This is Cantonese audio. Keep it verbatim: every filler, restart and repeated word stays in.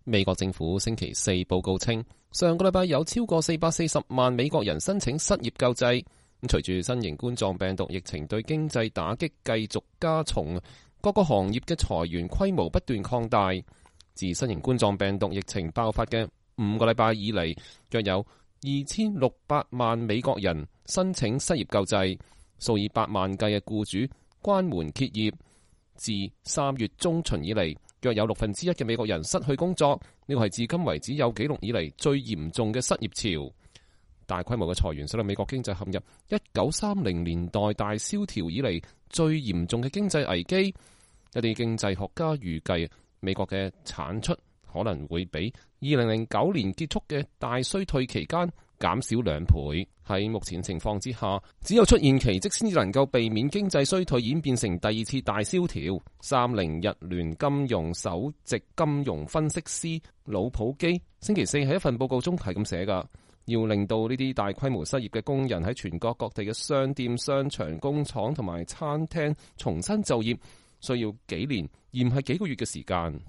美國政府星期四報告稱，上個禮拜有超過四百四十萬美國人申請失業救濟。隨住新型冠狀病毒疫情對經濟打擊繼續加重，各個行業嘅裁員規模不斷擴大。自新型冠狀病毒疫情爆發嘅五個禮拜以嚟，約有二千六百萬美國人申請失業救濟，數以百萬計嘅僱主關門歇業。自三月中旬以嚟，約有六分之一嘅美國人失去工作，呢個係至今為止有紀錄以嚟最嚴重嘅失業潮。大規模嘅裁員使到美國經濟陷入一九三零年代大蕭條以嚟最嚴重嘅經濟危機。一啲經濟學家預計，美國嘅產出可能會比二零零九年結束嘅大衰退期間減少兩倍。喺目前情況之下，只有出現奇蹟先至能夠避免經濟衰退演變成第二次大蕭條。三菱日聯金融首席金融分析師魯普基星期四喺一份報告中係咁寫㗎。要令到呢啲大規模失業嘅工人喺全國各地嘅商店、商場、工廠同埋餐廳重新就業，需要幾年而唔係幾個月嘅時間。